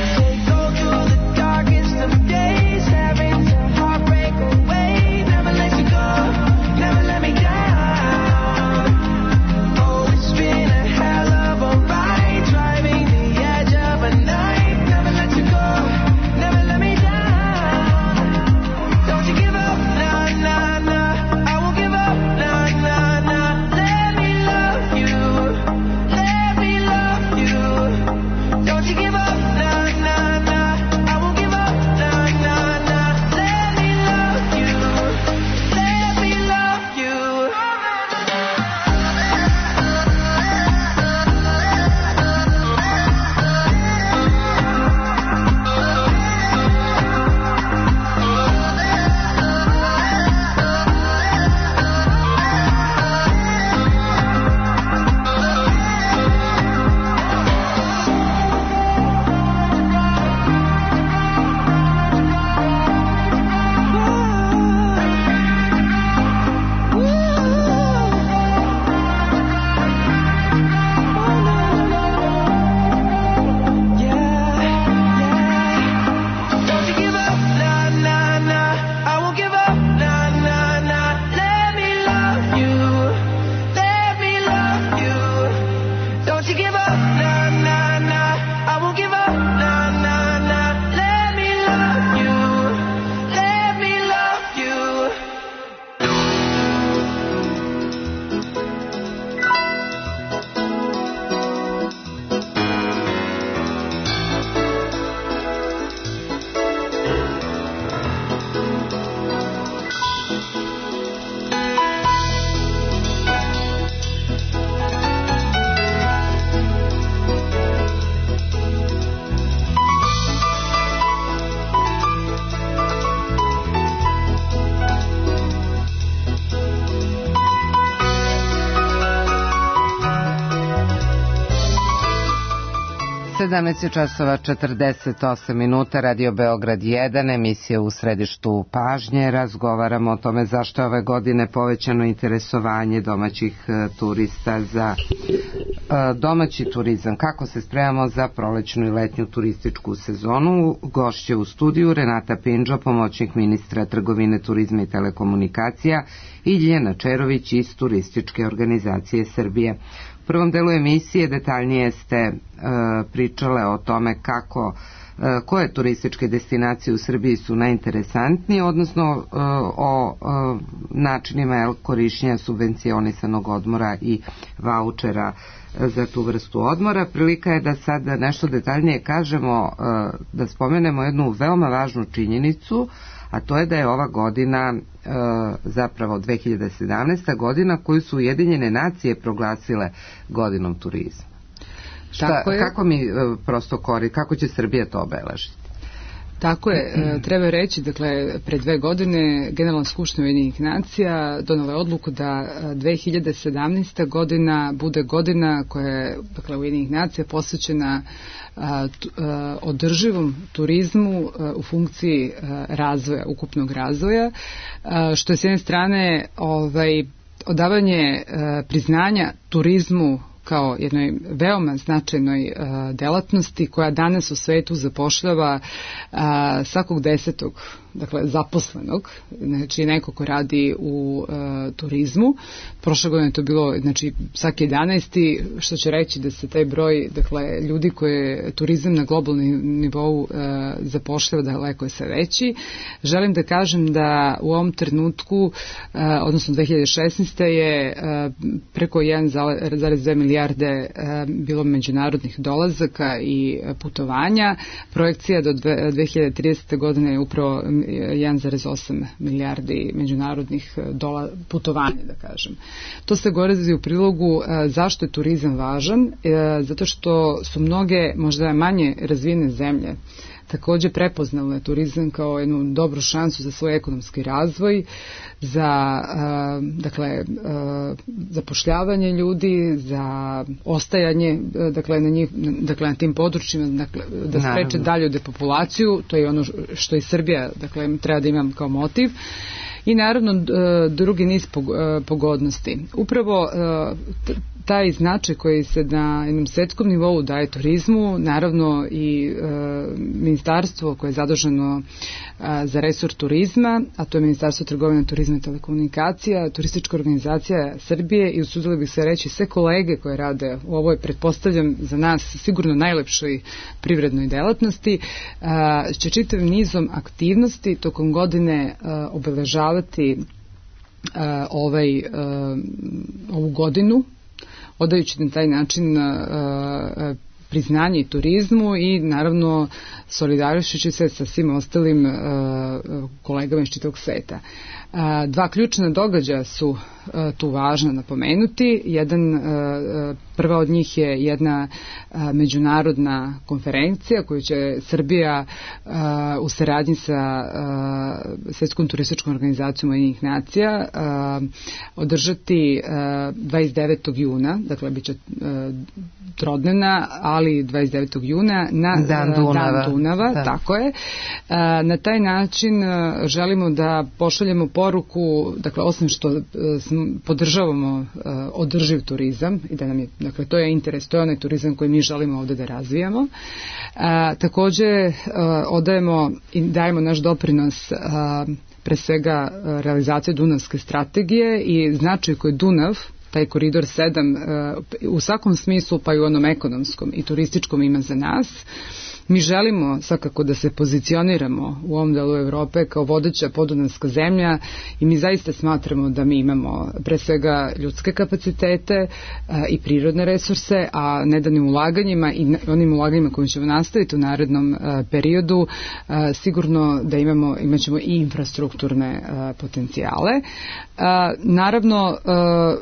They go through the darkest of days, having to heartbreak away. Never let you go, never let me down. Oh, it's been a hell of a ride, driving the edge of a knife. Never let you go, never let me down. Don't you give up, nah, nah, nah. I won't give up, nah, nah, nah. Let me love you, let me love you. Don't you give up, nah, nah, nah. I won't give up, nah, nah, nah. Let me love you, let me love you. Don't you give up, nah, nah, nah. I won't give up, nah, nah, nah. Let me love you, let me love you. Don't you give up, nah, nah, nah. I won't give up, nah, nah, nah. Let me love you, let me love you. sedamnaest časova četrdeset osam minuta, Radio Beograd jedan, emisija U središtu pažnje. Razgovaramo o tome zašto je ove godine povećano interesovanje domaćih e, turista za e, domaći turizam. Kako se spremamo za prolećnu i letnju turističku sezonu? Gošće u studiju Renata Pindžo, pomoćnik ministra trgovine, turizma i telekomunikacija, i Ljiljana Čerović iz Turističke organizacije Srbije. U prvom delu emisije detaljnije ste e, pričale o tome kako e, koje turističke destinacije u Srbiji su najinteresantnije, odnosno e, o e, načinima el, korišćenja subvencionisanog odmora i vaučera e, za tu vrstu odmora. Prilika je da sad nešto detaljnije kažemo, e, da spomenemo jednu veoma važnu činjenicu, a to je da je ova godina e, zapravo dve hiljade sedamnaesta godina koju su Ujedinjene nacije proglasile godinom turizma. Šta, kako mi e, prosto kori, kako će Srbija to obeležiti? Tako je, e, treba reći, dakle, pre dve godine Generalna skupština Ujedinjenih nacija donela je odluku da e, dve hiljade sedamnaesta godina bude godina koja je, dakle, Ujedinjenih nacija posvećena a, t, a, održivom turizmu a, u funkciji a, razvoja, ukupnog razvoja, a, što je s jedne strane ovaj, odavanje a, priznanja turizmu kao jednoj veoma značajnoj a, delatnosti koja danas u svetu zapošljava a, svakog desetog, dakle, zaposlenog, znači neko ko radi u a, turizmu. Prošle godine to bilo, znači, svaki jedanaesti, što će reći da se taj broj, dakle, ljudi koje turizam na globalnom nivou a, zapošljava daleko je sve veći. Želim da kažem da u ovom trenutku, a, odnosno dve hiljade šesnaeste. je a, preko jedan zarez dve milijarde a, bilo međunarodnih dolazaka i putovanja. Projekcija do dve hiljade tridesete. godine je upravo jedan zarez osam milijardi međunarodnih dola, putovanja, da kažem. To se govori u prilogu a, zašto je turizam važan, a, zato što su mnoge možda manje razvijene zemlje takođe prepoznale turizam kao jednu dobru šansu za svoj ekonomski razvoj, za a, dakle a, zapošljavanje ljudi, za ostajanje, dakle, na njih, dakle, na tim područjima, dakle, da spreče dalju depopulaciju. To je ono što i Srbija, dakle, treba da imam kao motiv. I naravno drugi niz pogodnosti. Upravo taj značaj koji se na jednom svetskom nivou daje turizmu, naravno i e, ministarstvo koje je zaduženo e, za resor turizma, a to je Ministarstvo trgovine, turizma i telekomunikacija, Turistička organizacija Srbije i usudili bih se reći sve kolege koje rade u ovoj, pretpostavljam za nas sigurno najlepšoj privrednoj delatnosti, e, će čitavim nizom aktivnosti tokom godine e, obeležavati e, ovaj, e, ovu godinu, odajući na taj način a, priznanje i turizmu i naravno solidarišući se sa svim ostalim a, kolegama iz čitavog sveta. A, dva ključna događaja su a, tu važno napomenuti. Jedan, a, prva od njih je jedna a, međunarodna konferencija koju će Srbija a, u saradnji sa a, Svetskom turističkom organizacijom Ujedinjenih nacija a, održati a, dvadeset devetog juna, dakle bit će a, trodnevna, ali dvadeset devetog juna na Dan Dunava, Dan Dunava da. Tako je. A, na taj način a, želimo da pošaljemo poruku, dakle, osim što a, podržavamo a, održiv turizam i da nam je, dakle, to je interes, to je onaj turizam koji mi želimo ovde da razvijamo. A, takođe a, odajemo i dajemo naš doprinos a, pre svega a, realizacije Dunavske strategije i značaj koji Dunav, taj koridor sedam, u svakom smislu, pa i u onom ekonomskom i turističkom ima za nas. Mi želimo svakako da se pozicioniramo u ovom delu Evrope kao vodeća podunavska zemlja i mi zaista smatramo da mi imamo pre svega ljudske kapacitete a, i prirodne resurse, a nedanim ulaganjima i onim ulaganjima kojim ćemo nastaviti u narednom a, periodu, a, sigurno da imamo, imat ćemo i infrastrukturne a, potencijale. A, naravno, a,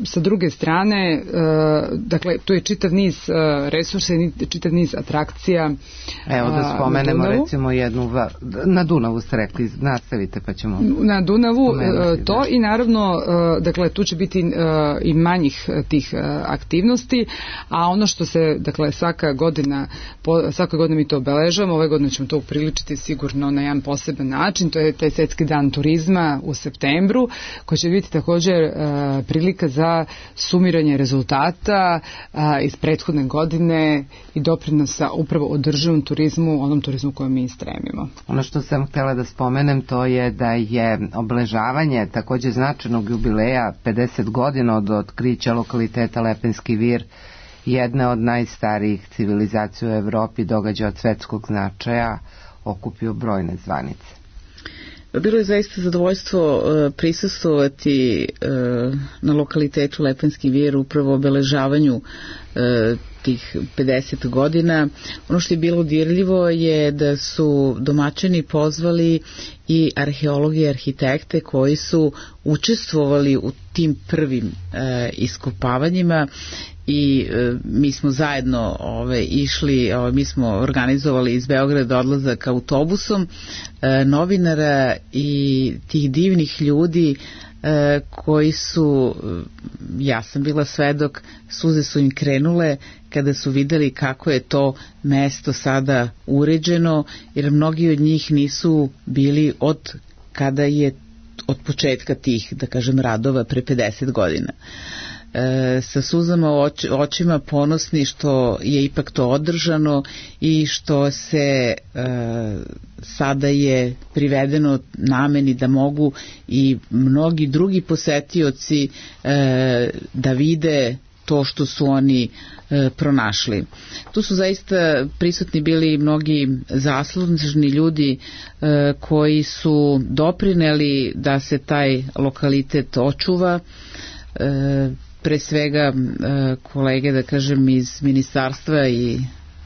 sa druge strane, uh, dakle, to je čitav niz uh, resursa i čitav niz atrakcija. Evo da spomenemo uh, recimo jednu, na Dunavu ste rekli, nastavite pa ćemo... Na Dunavu uh, to da. I naravno, uh, dakle, tu će biti uh, i manjih tih uh, aktivnosti, a ono što se, dakle, svaka godina, po, svaka godina mi to obeležavamo, ove godine ćemo to upriličiti sigurno na jedan poseban način, to je taj Svetski dan turizma u septembru, koji će biti također uh, prilika za sumiranje rezultata a, iz prethodne godine i doprinosa upravo održivom turizmu, onom turizmu kojem mi stremimo. Ono što sam htjela da spomenem to je da je obeležavanje također značajnog jubileja pedeset godina od otkrića lokaliteta Lepenski vir jedne od najstarijih civilizacija u Evropi, događa od svetskog značaja, okupio brojne zvanice. Bilo je zaista zadovoljstvo uh, prisustvovati uh, na lokalitetu Lepenski vir, upravo obeležavanju uh, tih pedeset godina. Ono što je bilo dirljivo je da su domaćini pozvali i arheologi i arhitekte koji su učestvovali u tim prvim e, iskopavanjima i e, mi smo zajedno ove, išli, ove, mi smo organizovali iz Beograda odlazak autobusom e, novinara i tih divnih ljudi e, koji su, ja sam bila svedok, suze su im krenule kada su videli kako je to mesto sada uređeno, jer mnogi od njih nisu bili od kada je od početka tih, da kažem, radova pre pedeset godina. E, sa suzama u oč, očima ponosni što je ipak to održano i što se e, sada je privedeno nameni da mogu i mnogi drugi posetioci e, da vide to što su oni e, pronašli. Tu su zaista prisutni bili mnogi zaslužni ljudi e, koji su doprineli da se taj lokalitet očuva. E, pre svega e, kolege, da kažem, iz ministarstva i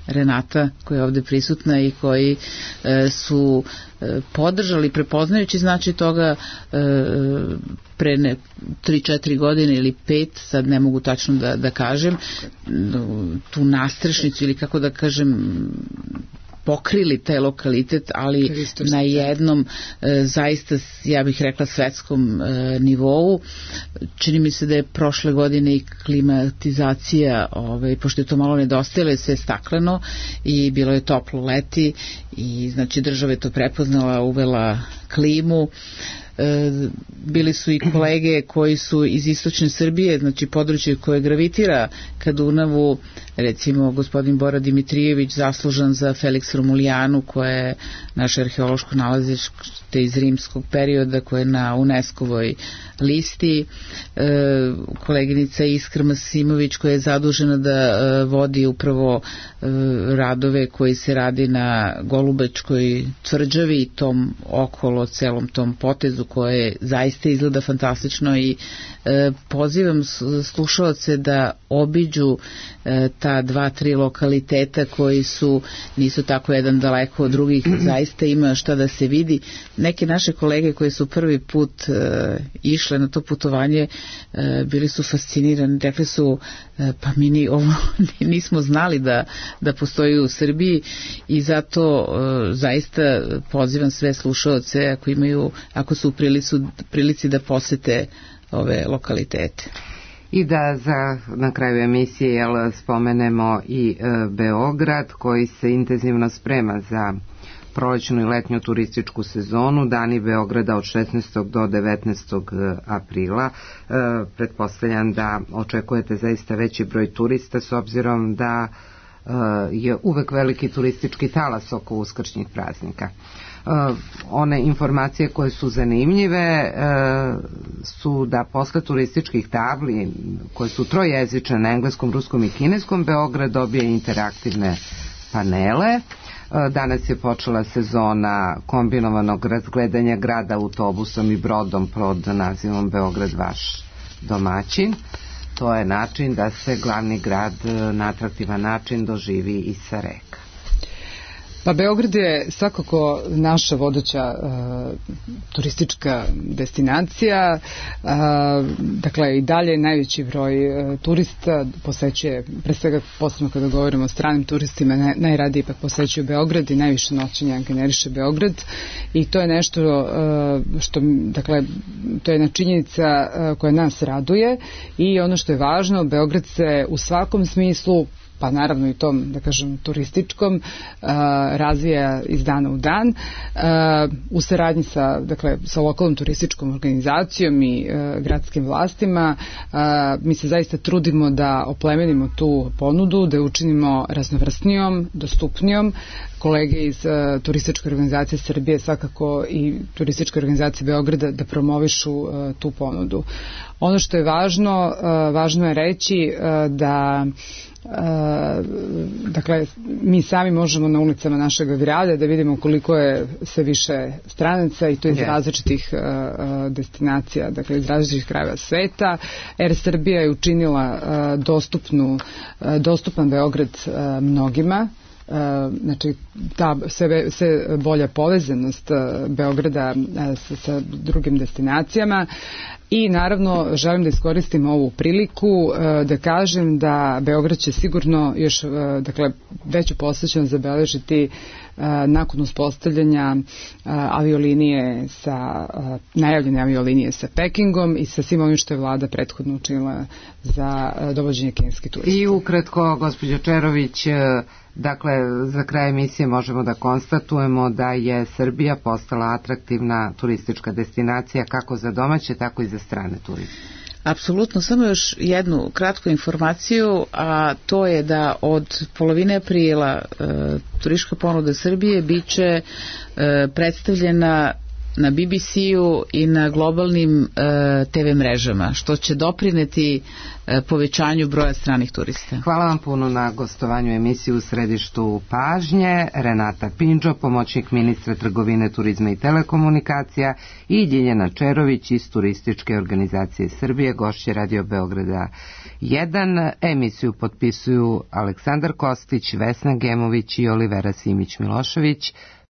Renata koja je ovde prisutna i koji e, su e, podržali, prepoznajući znači toga e, pre ne, tri četiri godine ili pet, sad ne mogu tačno da, da kažem, tu nastrešnicu ili kako da kažem pokrili taj lokalitet, ali na jednom e, zaista, ja bih rekla, svetskom e, nivou. Čini mi se da je prošle godine i klimatizacija, ovaj, pošto je to malo nedostajalo, je sve stakleno i bilo je toplo leti i znači država je to prepoznala, uvela klimu. E, bili su i kolege koji su iz istočne Srbije, znači područje koje gravitira ka Dunavu, recimo gospodin Bora Dimitrijević, zaslužan za Felix Romulijanu, koje je naše arheološko nalazište iz rimskog perioda, koje je na UNESCO-voj listi, e, koleginica Iskra Masimović koja je zadužena da e, vodi upravo e, radove koji se radi na Golubačkoj tvrđavi i tom okolo celom tom potezu koje zaista izgleda fantastično i e, pozivam slušaoce da obiđu e, ta dva, tri lokaliteta koji su, nisu tako jedan daleko od drugih, zaista ima šta da se vidi. Neke naše kolege koji su prvi put e, išle na to putovanje e, bili su fascinirani, rekli su e, pa mi ni ovo nismo znali da, da postoji u Srbiji i zato e, zaista pozivam sve slušaoce ako imaju, ako su u prilicu, prilici da posete ove lokalitete. I da za, na kraju emisije jel, spomenemo i e, Beograd koji se intenzivno sprema za prolećnu i letnju turističku sezonu. Dani Beograda od šesnaestog do devetnaestog aprila. E, pretpostavljam da očekujete zaista veći broj turista s obzirom da e, je uvek veliki turistički talas oko uskršnjih praznika. Uh, one informacije koje su zanimljive uh, su da posle turističkih tabli koje su trojezične na engleskom, ruskom i kineskom, Beograd dobije interaktivne panele. Uh, danas je počela sezona kombinovanog razgledanja grada autobusom i brodom pod nazivom Beograd vaš domaćin. To je način da se glavni grad na atraktivan način doživi i sa reka. Pa Beograd je svakako naša vodeća uh, turistička destinacija, uh, dakle i dalje najveći broj uh, turista posećuje, pre svega posebno kada govorimo o stranim turistima, naj, najradije ipak posećuju Beograd i najviše noćenja generiše Beograd i to je nešto uh, što, dakle, to je jedna činjenica uh, koja nas raduje i ono što je važno, Beograd se u svakom smislu, pa naravno i tom, da kažem, turističkom, uh, razvija iz dana u dan uh, u saradnji sa, dakle, sa lokalnom turističkom organizacijom i uh, gradskim vlastima. Uh, mi se zaista trudimo da oplemenimo tu ponudu, da je učinimo raznovrsnijom, dostupnijom. Kolege iz uh, turističke organizacije Srbije svakako i turističke organizacije Beograda da promovišu uh, tu ponudu. Ono što je važno, uh, važno je reći uh, da dakle, mi sami možemo na ulicama našeg grada da vidimo koliko je sve više stranaca i to iz yes. različitih destinacija, dakle iz različitih krajeva sveta. Air Srbija je učinila dostupnu, dostupan Beograd mnogima. Znači ta sve, sve bolja povezanost Beograda sa, sa drugim destinacijama i naravno želim da iskoristim ovu priliku da kažem da Beograd će sigurno još dakle veću posvećenost zabeležiti nakon uspostavljanja aviolinije sa najavljene aviolinije sa Pekingom i sa svim ovim što je vlada prethodno učinila za dovođenje kineskih turista. I ukratko, gospođo Čerović, dakle, za kraj emisije možemo da konstatujemo da je Srbija postala atraktivna turistička destinacija kako za domaće, tako i za strane turiste. Apsolutno, samo još jednu kratku informaciju, a to je da od polovine aprila e, turistička ponuda Srbije biće e, predstavljena na B B C-u i na globalnim e, te ve mrežama, što će doprineti e, povećanju broja stranih turista. Hvala vam puno na gostovanju emisiju U središtu pažnje. Renata Pindžo, pomoćnik ministra trgovine, turizma i telekomunikacija, i Ljiljana Čerović iz Turističke organizacije Srbije, gošće Radio Beograda jedan. Emisiju potpisuju Aleksandar Kostić, Vesna Gemović i Olivera Simić Milošević.